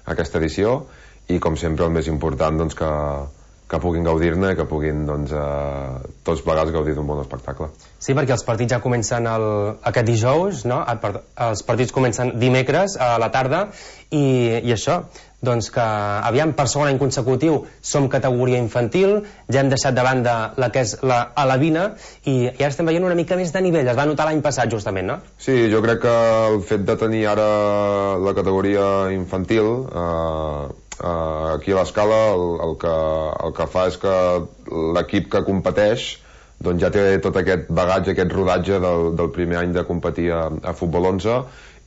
aquesta edició, i com sempre el més important doncs, que puguin gaudir-ne i que puguin tots plegats gaudir d'un bon espectacle. Sí, perquè els partits ja comencen aquest dijous, no? Els partits comencen dimecres a la tarda i això, doncs que aviam, per segon any consecutiu som categoria infantil, ja hem deixat de banda la que és la alevina i ara estem veient una mica més de nivell. Es va notar l'any passat justament, no? Sí, jo crec que el fet de tenir ara la categoria infantil aquí a l'Escala el que fa és que l'equip que competeix doncs ja té tot aquest bagatge, aquest rodatge del primer any de competir a futbol 11,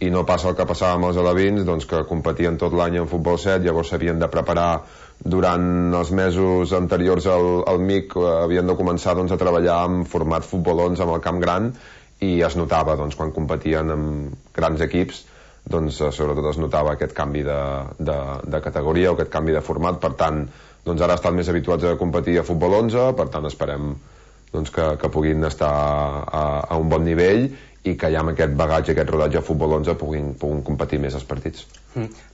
i no passa el que passava amb els alevins, doncs que competien tot l'any en futbol 7, llavors s'havien de preparar durant els mesos anteriors al MIC, havien de començar doncs, a treballar en format futbol 11 amb el camp gran, i es notava doncs, quan competien amb grans equips, doncs sobretot es notava aquest canvi de categoria o aquest canvi de format. Per tant, doncs ara estan més habituats a competir a futbol 11, per tant esperem doncs, que puguin estar a un bon nivell i que ja amb aquest bagatge, aquest rodatge a futbol 11 puguin competir més els partits.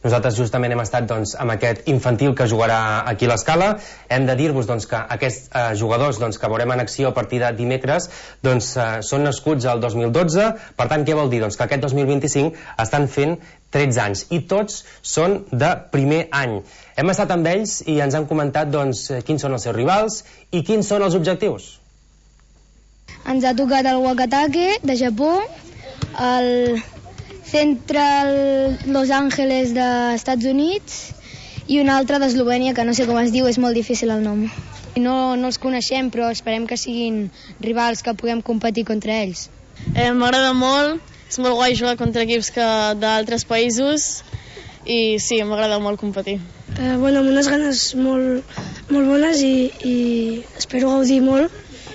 Nosaltres justament hem estat doncs, amb aquest infantil que jugarà aquí a l'Escala. Hem de dir-vos doncs, que aquests jugadors doncs, que veurem en acció a partir de dimecres doncs, són nascuts al 2012. Per tant, què vol dir? Doncs que aquest 2025 estan fent 13 anys i tots són de primer any. Hem estat amb ells i ens han comentat doncs, quins són els seus rivals i quins són els objectius. Ens ha tocat el Wakatake de Japó, el Central Los Angeles d'Estats Units i un altre d'Eslovènia, que no sé com es diu, és molt difícil el nom. No els coneixem, però esperem que siguin rivals, que puguem competir contra ells. M'agrada molt, és molt guai jugar contra equips d'altres països i sí, m'agrada molt competir. Amb unes ganes molt bones i espero gaudir molt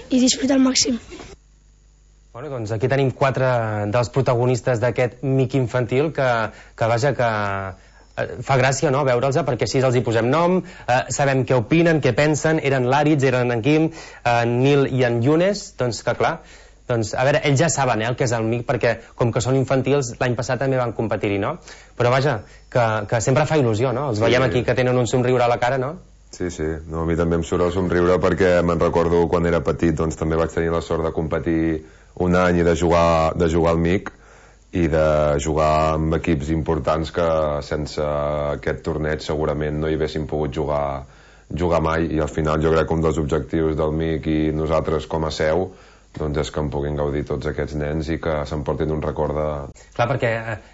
i disfrutar al màxim. Bueno, doncs aquí tenim 4 dels protagonistes d'aquest MIC infantil que vaja que fa gràcia, no?, veure'ls, perquè així els hi posem nom, sabem què opinen, què pensen. Eren l'Àritz, eren en Quim, en Nil i en Younes, doncs que clar, doncs a veure, ells ja saben el que és el MIC, perquè com que són infantils l'any passat també van competir-hi, no? Però vaja, que sempre fa il·lusió, no? Els veiem aquí que tenen un somriure a la cara, no? Sí, no, a mi també em surt el somriure perquè me'n recordo quan era petit, doncs també vaig tenir la sort de competir un any i de jugar al MIC i de jugar amb equips importants que sense aquest torneig segurament no hi haguessin pogut jugar mai, i al final jo crec que un dels objectius del MIC i nosaltres com a seu doncs és que en puguin gaudir tots aquests nens i que s'emportin un record de... Clar, perquè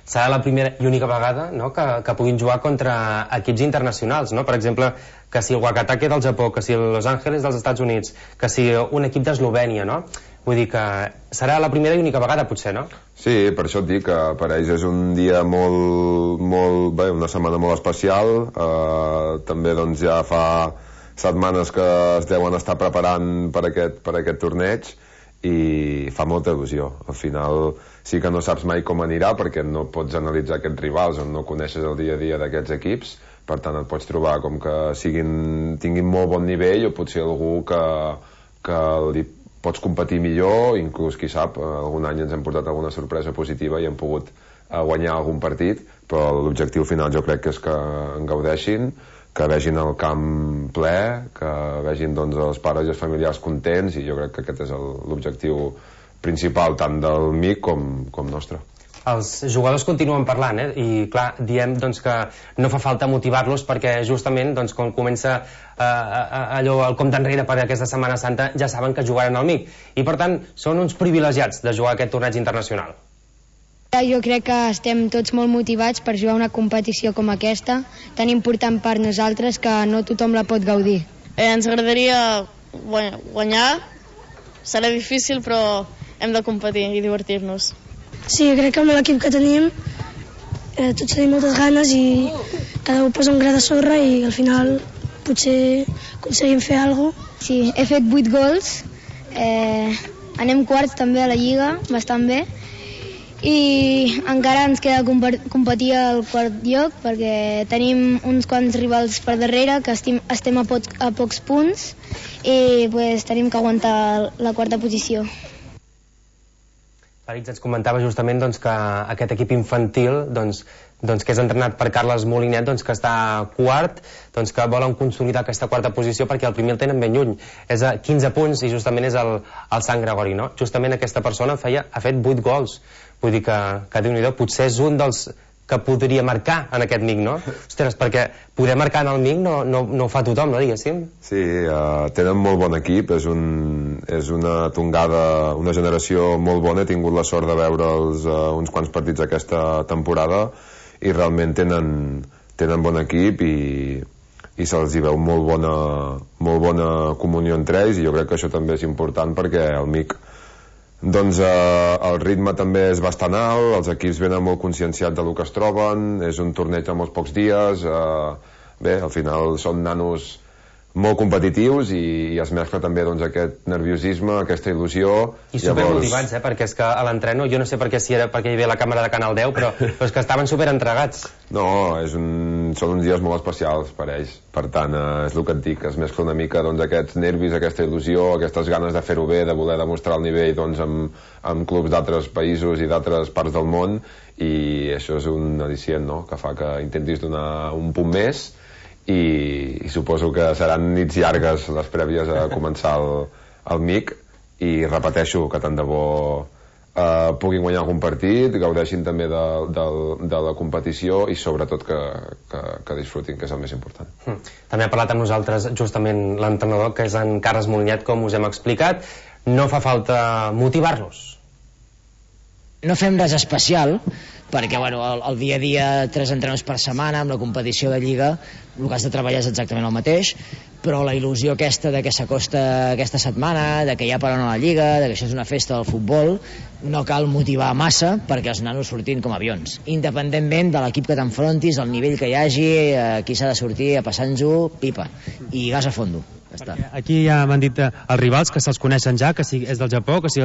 serà la primera i única vegada, no?, que puguin jugar contra equips internacionals, no? Per exemple, que si el Wakatake del Japó, que si el Los Angeles dels Estats Units, que si un equip d'Eslovènia, no? Vull dir que serà la primera i única vegada, potser, no? Sí, per això et dic que per ells és un dia bé, una setmana molt especial. També doncs ja fa setmanes que es deuen estar preparant per aquest torneig i fa molta il·lusió. Al final sí que no saps mai com anirà perquè no pots analitzar aquests rivals on no coneixes el dia a dia d'aquests equips, per tant et pots trobar com que tinguin molt bon nivell o potser algú que li pots competir millor, inclús qui sap, algun any ens hem portat alguna sorpresa positiva i hem pogut guanyar algun partit, però l'objectiu final jo crec que és que en gaudeixin, que vegin el camp ple, que vegin doncs, els pares i els familiars contents, i jo crec que aquest és l'objectiu principal tant del MIC com nostre. Els jugadors continuen parlant, i clar, diem doncs, que no fa falta motivar-los perquè justament doncs, quan comença allò, el compte enrere per aquesta Setmana Santa, ja saben que jugaran al MIC i per tant són uns privilegiats de jugar aquest torneig internacional. Jo crec que estem tots molt motivats per jugar una competició com aquesta, tan important per nosaltres que no tothom la pot gaudir. Ens agradaria guanyar, serà difícil però hem de competir i divertir-nos. Sí, crec que amb l'equip que tenim tots tenim moltes ganes i cada un posa un gra de sorra i al final potser aconseguim fer alguna cosa. Sí, he fet 8 gols, anem quarts també a la Lliga, bastant bé, i encara ens queda competir al quart lloc perquè tenim uns quants rivals per darrere que estem a pocs punts i tenim que aguantar la quarta posició. Àritz ens comentava justament doncs, que aquest equip infantil doncs, doncs, que és entrenat per Carles Molinet, doncs, que està quart, doncs, que volen consolidar aquesta quarta posició perquè el primer el tenen ben lluny. És a 15 punts i justament és el Sant Gregori, no? Justament aquesta persona ha fet 8 gols. Vull dir que Déu-n'hi-do, potser és un dels que podria marcar en aquest MIC, no? Ostres, perquè poder marcar en el MIC no ho fa tothom, no, diguéssim? Sí, tenen molt bon equip, és una tongada, una generació molt bona. He tingut la sort de veure'ls uns quants partits aquesta temporada i realment tenen bon equip i se'ls hi veu molt bona comunió entre ells, i jo crec que això també és important perquè el MIC, doncs el ritme també és bastant alt, els equips venen molt conscienciats del que es troben, és un torneig a molts pocs dies, bé, al final són nanos molt competitius i es mescla també doncs, aquest nerviosisme, aquesta il·lusió. I supermotivats, perquè és que a l'entreno, jo no sé si era perquè hi havia la càmera de Canal 10, però és que estaven superentregats. No, són uns dies molt especials per ells, per tant, és el que et dic, es mescla una mica doncs, aquests nervis, aquesta il·lusió, aquestes ganes de fer-ho bé, de voler demostrar el nivell doncs, amb clubs d'altres països i d'altres parts del món, i això és un al·licient, no?, que fa que intentis donar un punt més, i suposo que seran nits llargues les prèvies a començar el MIC, i repeteixo que tant de bo puguin guanyar algun partit, gaudeixin també de la competició i sobretot que disfrutin, que és el més important. També ha parlat amb nosaltres justament l'entrenador, que és en Carles Molinet, com us hem explicat. No fa falta motivar-los. No fem res especial, perquè bueno, el dia a dia 3 entrenaments per setmana, amb la competició de Lliga el que has de treballar és exactament el mateix, però la il·lusió aquesta de que s'acosta aquesta setmana, de que ja paran a la Lliga, de que això és una festa del futbol, no cal motivar massa perquè els nanos surtin com avions, independentment de l'equip que t'enfrontis, el nivell que hi hagi, aquí s'ha de sortir a passar-nos-ho pipa i gas a fondo. Aquí ja m'han dit els rivals que se'ls coneixen ja, que si és del Japó, que si...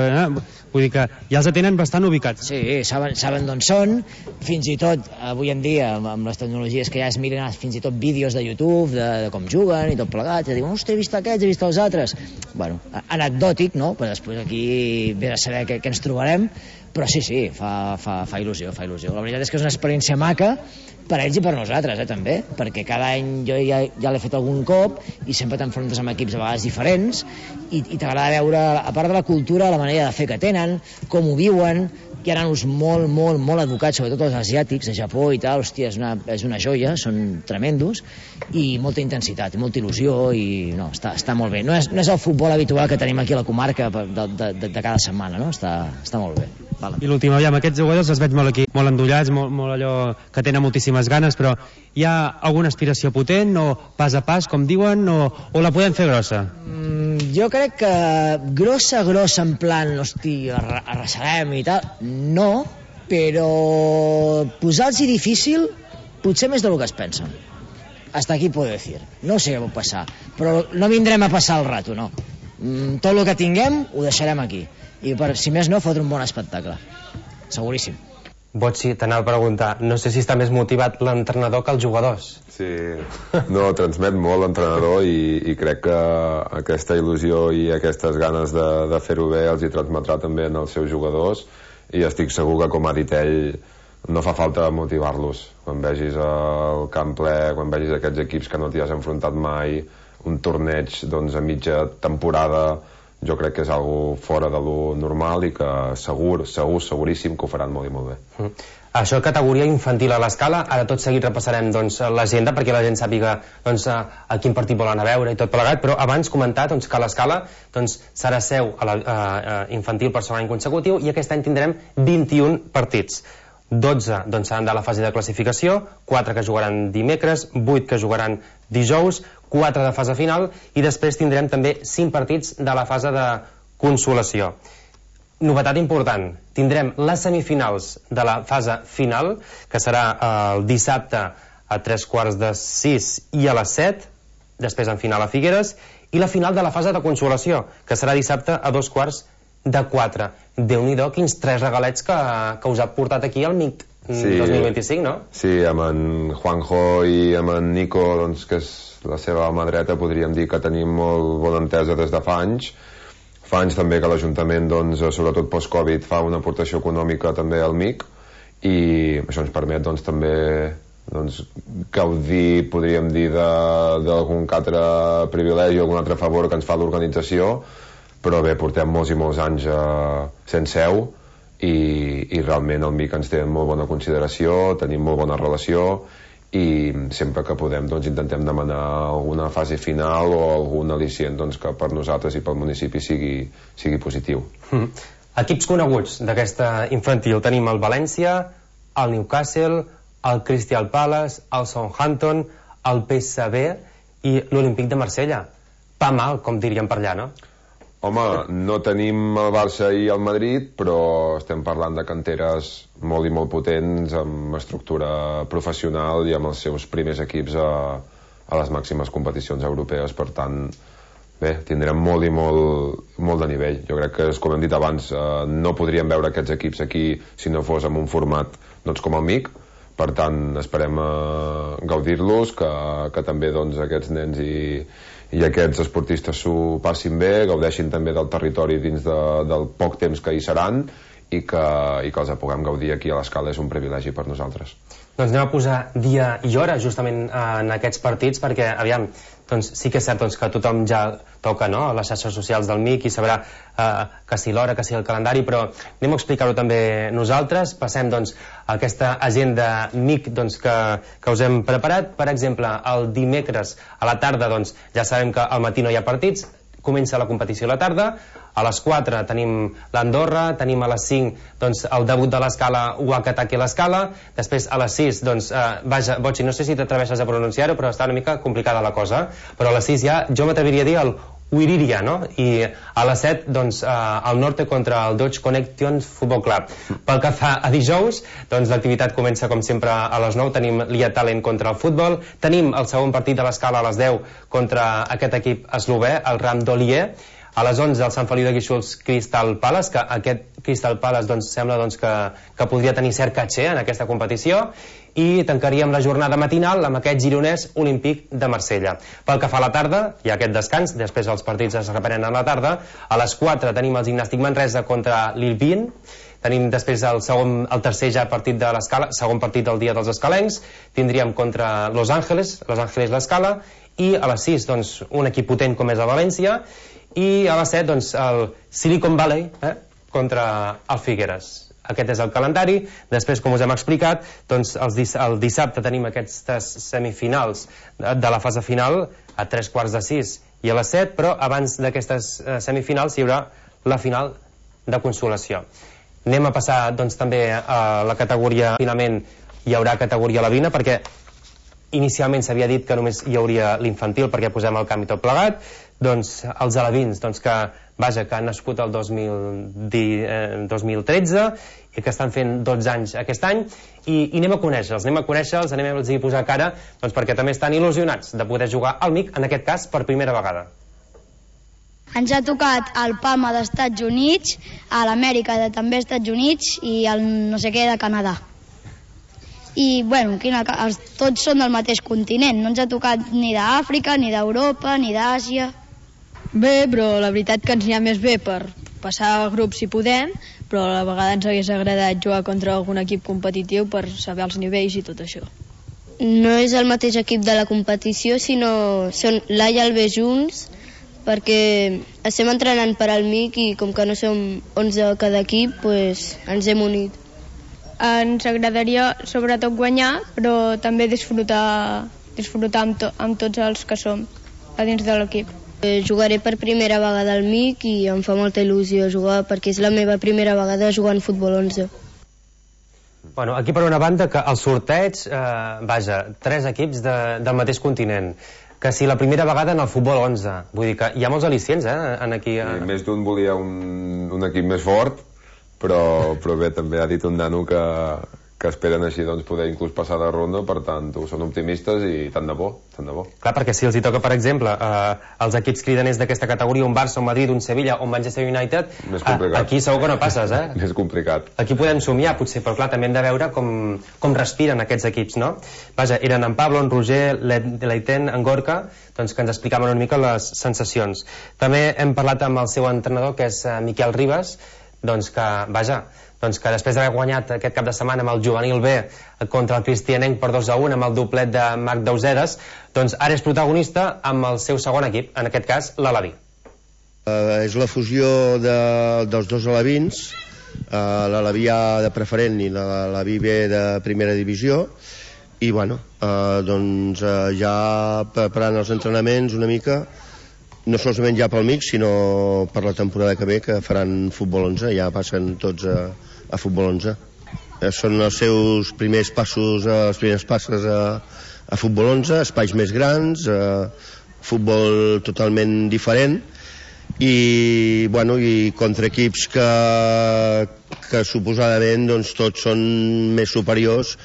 vull dir que ja els tenen bastant ubicats. Sí, saben d'on són, fins i tot avui en dia amb les tecnologies que ja es miren fins i tot vídeos de YouTube de com juguen i tot plegat, i diuen, ostres, he vist aquests, he vist els altres. Bueno, anecdòtic, no? Però després aquí ve a saber què ens trobarem, però sí, fa il·lusió. La veritat és que és una experiència maca per ells i per nosaltres, també, perquè cada any jo ja l'he fet algun cop i sempre t'enfrontes amb equips a vegades diferents i t'agrada veure, a part de la cultura, la manera de fer que tenen, com ho viuen. Hi ha nanos molt educats, sobretot els asiàtics, de Japó i tal, hòstia, és una joia, són tremendos, i molta intensitat, i molta il·lusió, i no, està molt bé. No és el futbol habitual que tenim aquí a la comarca de cada setmana, no? Està molt bé. Vale. I l'últim, aviam, aquests jugadors els veig molt aquí, molt endollats, molt allò que tenen moltíssimes ganes, però hi ha alguna aspiració potent, o pas a pas, com diuen, o la podem fer grossa? Jo crec que grossa en plan, hosti, arrasarem i tal, no, però posar-los difícil potser més del que es pensen. Hasta aquí puedo decir. No sé què pot passar, però no vindrem a passar el rato, no. Tot el que tinguem ho deixarem aquí, i si més no, fotre un bon espectacle, seguríssim. Botsi, t'anava a preguntar, no sé si està més motivat l'entrenador que els jugadors. Sí, no, transmet molt l'entrenador i crec que aquesta il·lusió i aquestes ganes de fer-ho bé els hi transmetrà també en els seus jugadors, i estic segur que, com ha dit ell, no fa falta motivar-los. Quan vegis el camp ple, quan vegis aquests equips que no t'hi has enfrontat mai, un torneig doncs, a mitja temporada, jo crec que és algo fora de lo normal i que seguríssim que ho faran molt i molt bé. Això, categoria infantil a l'Escala. Ara tot seguit repassarem l'agenda perquè la gent sàpiga a quin partit volen a veure i tot plegat, però abans comentar que a l'Escala serà seu infantil per segon any consecutiu, i aquest any tindrem 21 partits. 12 seran de la fase de classificació, 4 que jugaran dimecres, 8 que jugaran dijous, 4 de fase final, i després tindrem també 5 partits de la fase de consolació. Novetat important, tindrem les semifinals de la fase final, que serà el dissabte a 3:45 i a les 7, després en final a Figueres, i la final de la fase de consolació, que serà dissabte a 3:45. Déu-n'hi-do, quins 3 regalets que us ha portat aquí al MIC 2025, no? Sí, amb en Juanjo i amb en Nico, doncs, que és la seva mà dreta, podríem dir que tenim molt bona entesa des de fa anys. Fa anys també que l'Ajuntament, doncs, sobretot post-Covid, fa una aportació econòmica també al MIC, i això ens permet doncs, també gaudir, podríem dir, d'algun altre privilegi o algun altre favor que ens fa l'organització, però bé, portem molts i molts anys sense seu i realment el MIC ens té en molt bona consideració, tenim molt bona relació i sempre que podem doncs, intentem demanar alguna fase final o algun al·licient doncs, que per nosaltres i pel municipi sigui positiu. Equips coneguts d'aquesta infantil tenim el València, el Newcastle, el Crystal Palace, el Southampton, el PSV i l'Olímpic de Marsella. Pa mal, com diríem per allà, no? Home, no tenim el Barça i el Madrid, però estem parlant de canteres molt i molt potents, amb estructura professional i amb els seus primers equips a les màximes competicions europees. Per tant, bé, tindrem molt i molt de nivell. Jo crec que, com hem dit abans, no podríem veure aquests equips aquí si no fos en un format doncs, com el MIC. Per tant, esperem gaudir-los, que també doncs, aquests nens i aquests esportistes s'ho passin bé, gaudeixin també del territori dins del poc temps que hi seran i que els puguem gaudir aquí a l'Escala és un privilegi per nosaltres. Doncs anem a posar dia i hora justament en aquests partits perquè, aviam, doncs sí que és cert doncs, que tothom ja toca no, a les xarxes socials del MIC i sabrà que si l'hora, que si el calendari, però anem a explicar-ho també nosaltres. Passem doncs, a aquesta agenda MIC doncs, que us hem preparat. Per exemple, el dimecres a la tarda doncs, ja sabem que al matí no hi ha partits, comença la competició a la tarda. A les 4 tenim l'Andorra, tenim a les 5 doncs, el debut de l'Escala, Wakataki a l'Escala, després a les 6 doncs, vaja, Botxi, no sé si t'atreveixes a pronunciar-ho, però està una mica complicada la cosa, però a les 6 ja jo m'atreviria a dir el Uiriria, no? I a les 7 doncs, el Norte contra el Dodge Connection Football Club. Pel que fa a dijous, doncs l'activitat comença com sempre a les 9, tenim l'IA Talent contra el futbol, tenim el segon partit de l'Escala a les 10 contra aquest equip eslové, el Ram d'Olier. A les 11 el Sant Feliu de Guíxols Crystal Palace, que aquest Crystal Palace doncs, sembla doncs, que podria tenir cert caché en aquesta competició, i tancaríem la jornada matinal amb aquest gironès Olímpic de Marsella. Pel que fa a la tarda, hi ha aquest descans, després els partits es reprenen a la tarda. A les 4 tenim el Gimnàstic Manresa contra l'Ilvin, tenim després el tercer ja partit de l'Escala, segon partit del dia dels escalencs, tindríem contra Los Ángeles l'Escala, i a les 6 doncs, un equip potent com és el València, i a les 7 doncs, el Silicon Valley contra el Figueres. Aquest és el calendari. Després, com us hem explicat, doncs, el dissabte tenim aquestes semifinals de la fase final a 3:45 i a les 7, però abans d'aquestes semifinals hi haurà la final de consolació. Anem a passar doncs, també a la categoria, finalment hi haurà categoria alevina, perquè inicialment s'havia dit que només hi hauria l'infantil perquè posem el camp i tot plegat. Doncs els alevins doncs, que han nascut el 2013 i que estan fent 12 anys aquest any i anem a conèixer-los, anem a posar cara doncs, perquè també estan il·lusionats de poder jugar al MIC, en aquest cas per primera vegada. Ens ha tocat el Palma d'Estats Units, a l'Amèrica de també Estats Units i el no sé què de Canadà. I bueno, tots són del mateix continent, no ens ha tocat ni d'Àfrica, ni d'Europa, ni d'Àsia. Bé, però la veritat que ens n'hi ha més bé per passar a grups si podem, però a la vegada ens hagués agradat jugar contra algun equip competitiu per saber els nivells i tot això. No és el mateix equip de la competició, sinó són l'A i el B junts, perquè estem entrenant per al MIC i com que no som 11 cada equip, doncs ens hem unit. Ens agradaria sobretot guanyar, però també disfrutar amb tots els que som a dins de l'equip. Jugaré per primera vegada al MIC i em fa molta il·lusió jugar perquè és la meva primera vegada jugant futbol 11. Bueno, aquí per una banda que el sorteig, 3 equips del mateix continent, que si la primera vegada en el futbol 11, vull dir que hi ha molts al·licients en aquí. Més d'un volia un equip més fort, però bé, també ha dit un nano que esperen així doncs, poder inclús passar de ronda, per tant, són optimistes i tant de bo. Clar, perquè si els hi toca, per exemple, els equips cridaners d'aquesta categoria, un Barça, un Madrid, un Sevilla, un Manchester United, aquí segur que no passes, Més complicat. Aquí podem somiar, potser, però clar, també hem de veure com respiren aquests equips, no? Vaja, eren en Pablo, en Roger, l'Aiten, en Gorka, doncs que ens explicaven una mica les sensacions. També hem parlat amb el seu entrenador, que és Miquel Ribas, doncs que, vaja, doncs, que després d'haver guanyat aquest cap de setmana amb el juvenil B contra el Cristianenc per 2-1 amb el doblet de Marc Dauseres, doncs ara és protagonista amb el seu segon equip, en aquest cas l'Alaví. És la fusió dels dos alevins, l'Alaví A de preferent i l'Alaví B de primera divisió, i bueno, doncs ja preparant els entrenaments una mica, no solament ja pel MIC, sinó per la temporada que ve, que faran futbol 11, ja passen tots a futbol 11. Són els seus primers passos, les primeres passes a futbol 11, espais més grans, futbol totalment diferent, i bueno, i contra equips que suposadament doncs, tots són més superiors,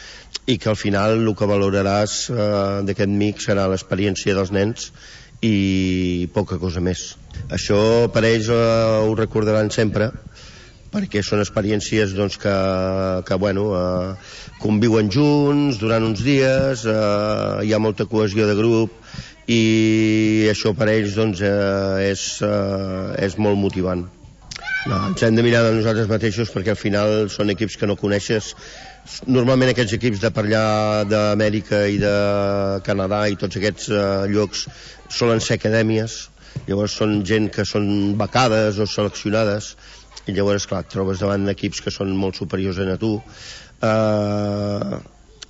i que al final el que valoraràs d'aquest MIC serà l'experiència dels nens i poca cosa més. Això per ells ho recordaran sempre, perquè són experiències doncs, que bueno, conviuen junts durant uns dies, hi ha molta cohesió de grup, i això per ells doncs, és molt motivant. No, ens hem de mirar de nosaltres mateixos, perquè al final són equips que no coneixes. Normalment aquests equips de per allà d'Amèrica i de Canadà i tots aquests llocs solen ser acadèmies, llavors són gent que són becades o seleccionades, i llavors clar, et trobes davant d'equips que són molt superiors a tu.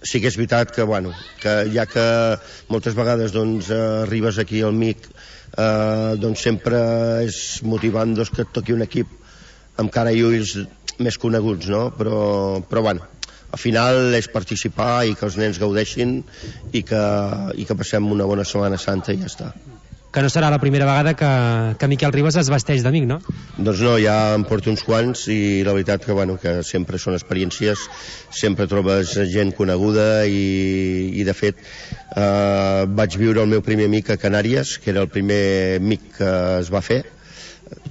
Sí que és veritat que, bueno, que ja que moltes vegades doncs, arribes aquí al MIC, doncs sempre és motivant doncs, que et toqui un equip amb cara i ulls més coneguts, no? Però bueno, al final és participar i que els nens gaudeixin i que passem una bona Setmana Santa i ja està. Que no serà la primera vegada que Miquel Ribas es vesteix d'amic, no? Doncs no, ja em porto uns quants i la veritat que, bueno, que sempre són experiències, sempre trobes gent coneguda i de fet vaig viure el meu primer MIC a Canàries, que era el primer MIC que es va fer,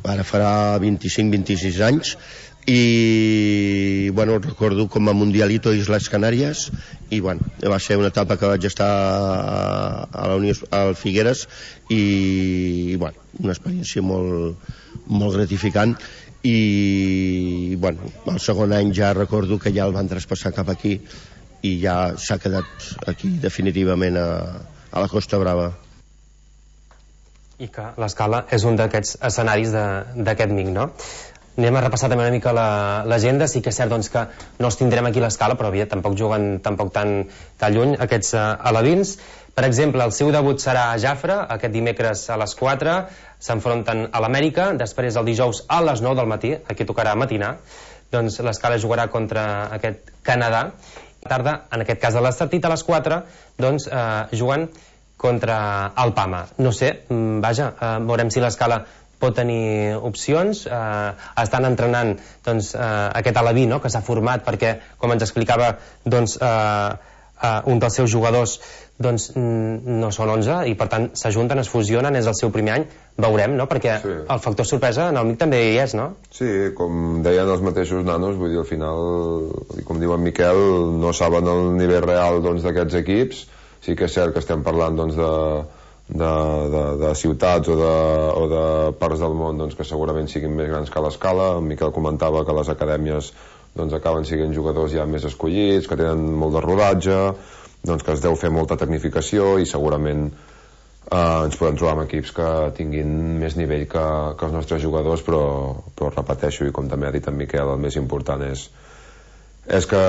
ara farà 25-26 anys, i bueno, recordo com a Mundialito Islas Canàries, i bueno, va ser una etapa que vaig estar al Figueres i bueno, una experiència molt gratificant, i bueno, el segon any ja recordo que ja el van traspassar cap aquí i ja s'ha quedat aquí definitivament a la Costa Brava. I que l'Escala és un d'aquests escenaris d'aquest MIC, no? Anem a repassar també una mica l'agenda. Sí que és cert doncs, que no els tindrem aquí a l'Escala, però bé, tampoc juguen tan lluny aquests alevins. Per exemple, el seu debut serà a Jafre, aquest dimecres a les 4, s'enfronten a l'Amèrica, després el dijous a les 9 del matí, aquí tocarà matinar, doncs l'Escala jugarà contra aquest Canadà. Tarda, en aquest cas de l'Estartit, a les 4, doncs juguen contra el Pama. No sé, vaja, veurem si l'Escala pot tenir opcions. Estan entrenant doncs, aquest Alaví, no?, que s'ha format perquè, com ens explicava doncs, un dels seus jugadors, doncs, no són 11 i per tant s'ajunten, es fusionen, és el seu primer any, veurem, no?, perquè sí, el factor sorpresa en el MIC també hi és, no? Sí, com deien els mateixos nanos, vull dir, al final, com diu en Miquel, no saben el nivell real doncs, d'aquests equips. Sí que és cert que estem parlant doncs, de ciutats o de parts del món doncs, que segurament siguin més grans que l'Escala. En Miquel comentava que les acadèmies doncs, acaben sent jugadors ja més escollits, que tenen molt de rodatge, doncs, que es deu fer molta tecnificació i segurament ens podem trobar amb equips que tinguin més nivell que els nostres jugadors, però repeteixo, i com també ha dit en Miquel, el més important és que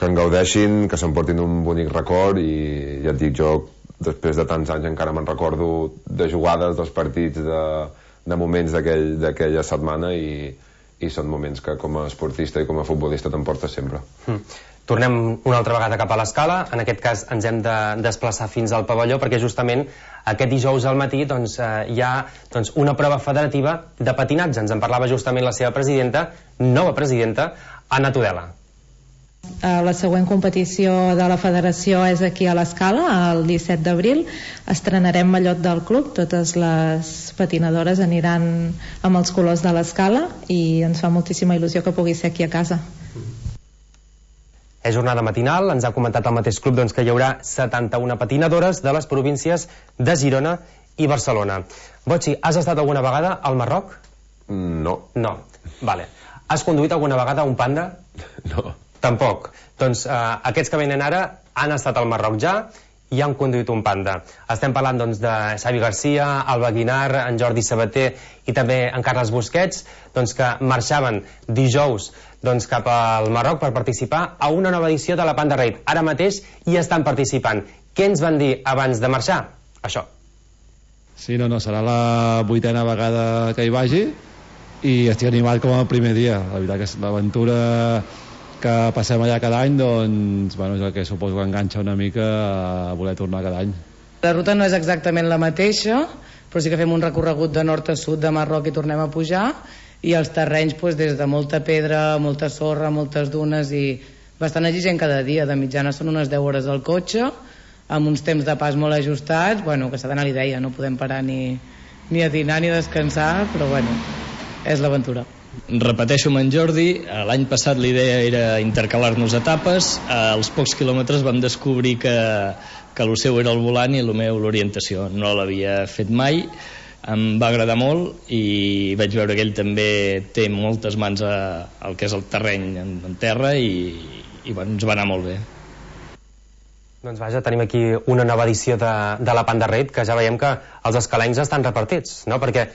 en gaudeixin, que s'emportin un bonic record, i ja et dic, jo després de tants anys encara me'n recordo de jugades, dels partits, de moments d'aquella setmana, i són moments que com a esportista i com a futbolista t'emportes sempre. Tornem una altra vegada cap a l'Escala. En aquest cas ens hem de desplaçar fins al pavelló perquè justament aquest dijous al matí doncs, hi ha doncs, una prova federativa de patinatge. Ens en parlava justament la seva presidenta, nova presidenta, Anna Tudela. La següent competició de la federació és aquí a l'Escala, el 17 d'abril. Estrenarem mallot del club, totes les patinadores aniran amb els colors de l'Escala i ens fa moltíssima il·lusió que pugui ser aquí a casa. És jornada matinal, ens ha comentat el mateix club doncs, que hi haurà 71 patinadores de les províncies de Girona i Barcelona. Botxi, has estat alguna vegada al Marroc? No. No, vale. Has conduït alguna vegada un Panda? No. Tampoc. Doncs aquests que venen ara han estat al Marroc ja i han conduït un Panda. Estem parlant doncs, de Xavi Garcia, Alba Guinar, en Jordi Sabater i també en Carles Busquets, doncs, que marxaven dijous doncs, cap al Marroc per participar a una nova edició de la Panda Raid. Ara mateix hi estan participant. Què ens van dir abans de marxar? Això. Sí, no, serà la 8a vegada que hi vagi i estic animat com el primer dia. La veritat que és l'aventura que passem allà cada any, doncs, bueno, és el que suposo que enganxa una mica a voler tornar cada any. La ruta no és exactament la mateixa, però sí que fem un recorregut de nord a sud de Marroc i tornem a pujar, i els terrenys doncs, des de molta pedra, molta sorra, moltes dunes i bastant exigent cada dia. De mitjana són unes 10 hores al cotxe, amb uns temps de pas molt ajustats, bueno, que s'ha d'anar a l'idea, no podem parar ni a dinar ni a descansar, però bueno, és l'aventura. Repeteixo amb en Jordi, l'any passat l'idea era intercalar-nos etapes, als pocs quilòmetres vam descobrir que el seu era el volant i el meu l'orientació, no l'havia fet mai, em va agradar molt i vaig veure que ell també té moltes mans al que és el terreny en terra i bueno, ens va anar molt bé. Doncs vaja, tenim aquí una nova edició de la Panda Raid, que ja veiem que els escalencs estan repartits, no? Perquè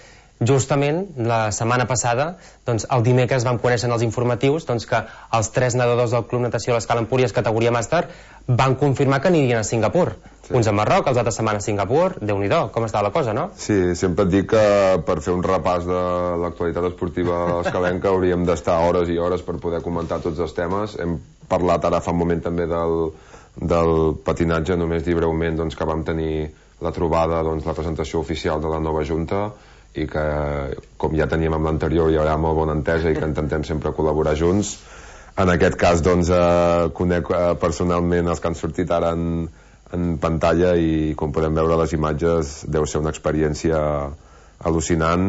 justament la setmana passada, doncs, el dimecres vam conèixer en els informatius doncs, que els 3 nedadors del Club Natació de l'Escala Empúries categoria màster van confirmar que anirien a Singapur. Sí. Uns a Marroc, els altres setmana a Singapur. Déu-n'hi-do, com està la cosa, no? Sí, sempre et dic que per fer un repàs de l'actualitat esportiva escalenca hauríem d'estar hores i hores per poder comentar tots els temes. Hem parlat ara fa un moment també del patinatge, només dir breument doncs, que vam tenir la trobada, doncs, la presentació oficial de la nova junta i que, com ja teníem amb l'anterior, hi haurà molt bona entesa i que intentem sempre col·laborar junts. En aquest cas, doncs, conec personalment els que han sortit ara en pantalla i, com podem veure les imatges, deu ser una experiència al·lucinant,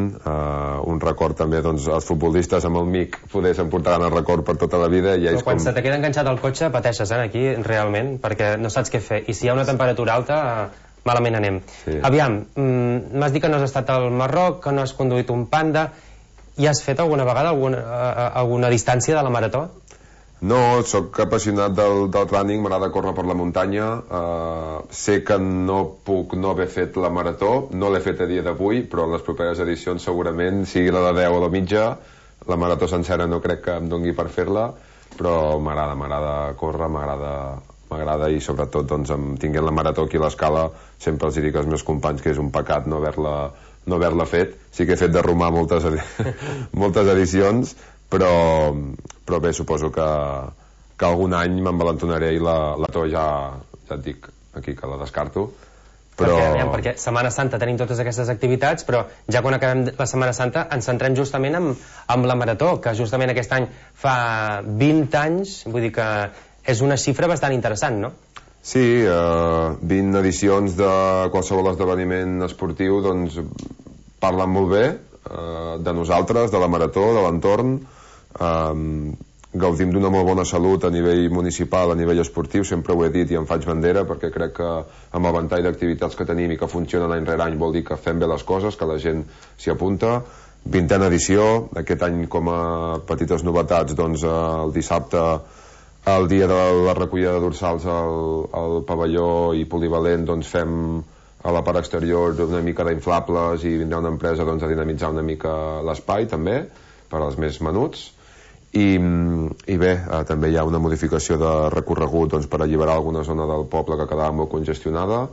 un record també, doncs, els futbolistes amb el MIC poder s'emportaran el record per tota la vida. I però quan se te queda enganxat al cotxe pateixes, aquí, realment, perquè no saps què fer, i si hi ha una temperatura alta malament anem. Sí. Aviam, m'has dit que no has estat al Marroc, que no has conduït un Panda, i has fet alguna vegada alguna distància de la marató? No, sóc apassionat del running, m'agrada córrer per la muntanya, sé que no puc no haver fet la marató, no l'he fet a dia d'avui, però en les properes edicions segurament, sigui la de 10 o la mitja, la marató sencera no crec que em dongui per fer-la, però m'agrada córrer, m'agrada i sobretot doncs, tinguent la marató aquí a l'Escala sempre els dic als meus companys que és un pecat no haver-la fet. Sí que he fet de romà moltes edicions, però bé, suposo que algun any m'envalentonaré i la marató ja et dic aquí que la descarto. Però... Perquè Setmana Santa tenim totes aquestes activitats, però ja quan acabem la Setmana Santa ens centrem justament amb la marató, que justament aquest any fa 20 anys, vull dir que és una xifra bastant interessant, no? Sí, 20 edicions de qualsevol esdeveniment esportiu doncs parlen molt bé de nosaltres, de la marató, de l'entorn. Gaudim d'una molt bona salut a nivell municipal, a nivell esportiu, sempre ho he dit i em faig bandera perquè crec que amb el ventall d'activitats que tenim i que funcionen any rere any vol dir que fem bé les coses, que la gent s'hi apunta. 20a edició, aquest any com a petites novetats, doncs el dissabte el dia de la recollida de dorsals al pavelló i polivalent doncs fem a la part exterior una mica d'inflables i vindrà una empresa doncs, a dinamitzar una mica l'espai també per als més menuts i bé, també hi ha una modificació de recorregut doncs, per alliberar alguna zona del poble que quedava molt congestionada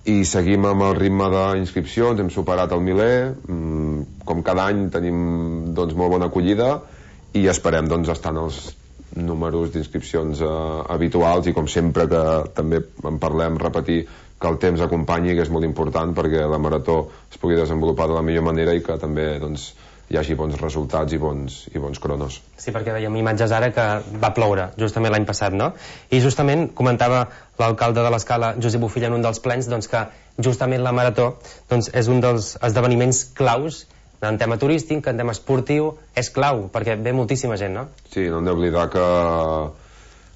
i seguim amb el ritme d'inscripcions, hem superat el miler, com cada any tenim doncs, molt bona acollida i esperem doncs, estar en els números d'inscripcions habituals i com sempre que també en parlem repetir que el temps acompanyi, que és molt important perquè la marató es pugui desenvolupar de la millor manera i que també doncs, hi hagi bons resultats i bons cronos. Sí, perquè veiem imatges ara que va ploure justament l'any passat, no? I justament comentava l'alcalde de l'Escala, Josep Bofill, en un dels plens doncs, que justament la marató doncs, és un dels esdeveniments claus en tema turístic, en tema esportiu, és clau, perquè ve moltíssima gent, no? Sí, no hem d'oblidar que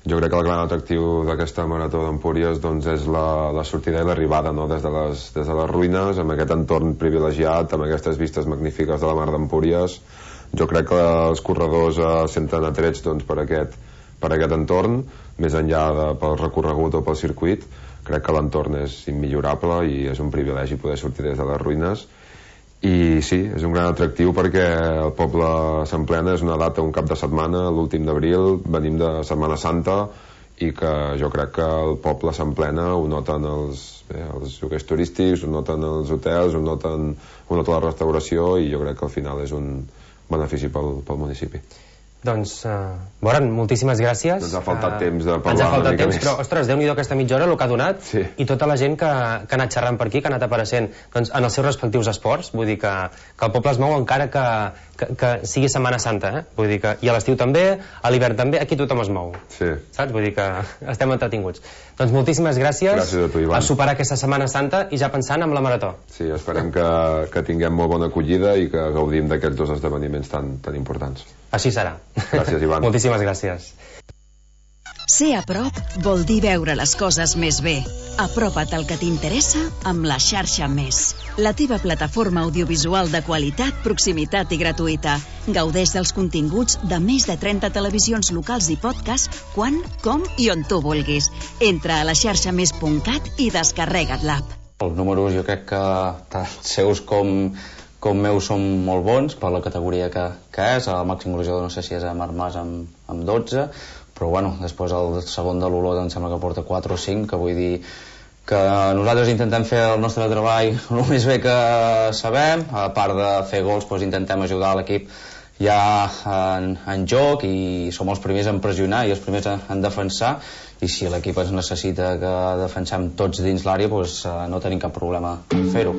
jo crec que el gran atractiu d'aquesta marató d'Empúries doncs, és la sortida i l'arribada, no? des de les ruïnes, amb aquest entorn privilegiat, amb aquestes vistes magnífiques de la mar d'Empúries, jo crec que els corredors senten atrets doncs, per aquest entorn, més enllà pel recorregut o pel circuit. Crec que l'entorn és immillorable i és un privilegi poder sortir des de les ruïnes. I sí, és un gran atractiu perquè el poble s'emplena, és una data, un cap de setmana, l'últim d'abril, venim de Setmana Santa, i que jo crec que el poble s'emplena, ho noten els lloguers turístics, ho noten els hotels, ho nota la restauració, i jo crec que al final és un benefici pel municipi. Doncs, Boran, moltíssimes gràcies. Ens ha faltat temps de parlar una mica més. Però, ostres, Déu-n'hi-do aquesta mitja hora, el que ha donat, sí. I tota la gent que ha anat xerrant per aquí, que ha anat apareixent doncs, en els seus respectius esports. Vull dir que el poble es mou encara que sigui Setmana Santa, Vull dir que, i a l'estiu també, a l'hivern també, aquí tothom es mou. Sí. Saps? Vull dir que estem entretinguts. Doncs moltíssimes gràcies. Gràcies a tu, Ivan. A superar aquesta Setmana Santa i ja pensant en la marató. Sí, esperem que tinguem molt bona acollida i que gaudim d'aquests dos esdeveniments tan importants. Així serà. Gràcies, Ivan. Moltíssimes gràcies. Ser a prop vol dir veure les coses més bé. Apropa't al que t'interessa amb la xarxa Més. La teva plataforma audiovisual de qualitat, proximitat i gratuïta. Gaudeix dels continguts de més de 30 televisions locals i podcast quan, com i on tu vulguis. Entra a laxarxamés.cat i descarrega't l'app. Els números jo crec que tant seus com meus són molt bons per la categoria que és. El màxim golejador no sé si és a Marc Mas amb 12, però bueno, després el segon de l'Olot em sembla que porta 4 o 5, que vull dir que nosaltres intentem fer el nostre treball el més bé que sabem. A part de fer gols, doncs intentem ajudar l'equip ja en joc, i som els primers en pressionar i els primers en defensar, i si l'equip es necessita que defensem tots dins l'àrea, doncs no tenim cap problema en fer-ho.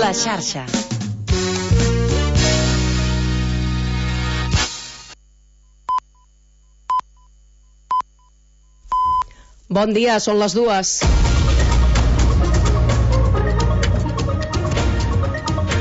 La xarxa. Bon dia, són les 2.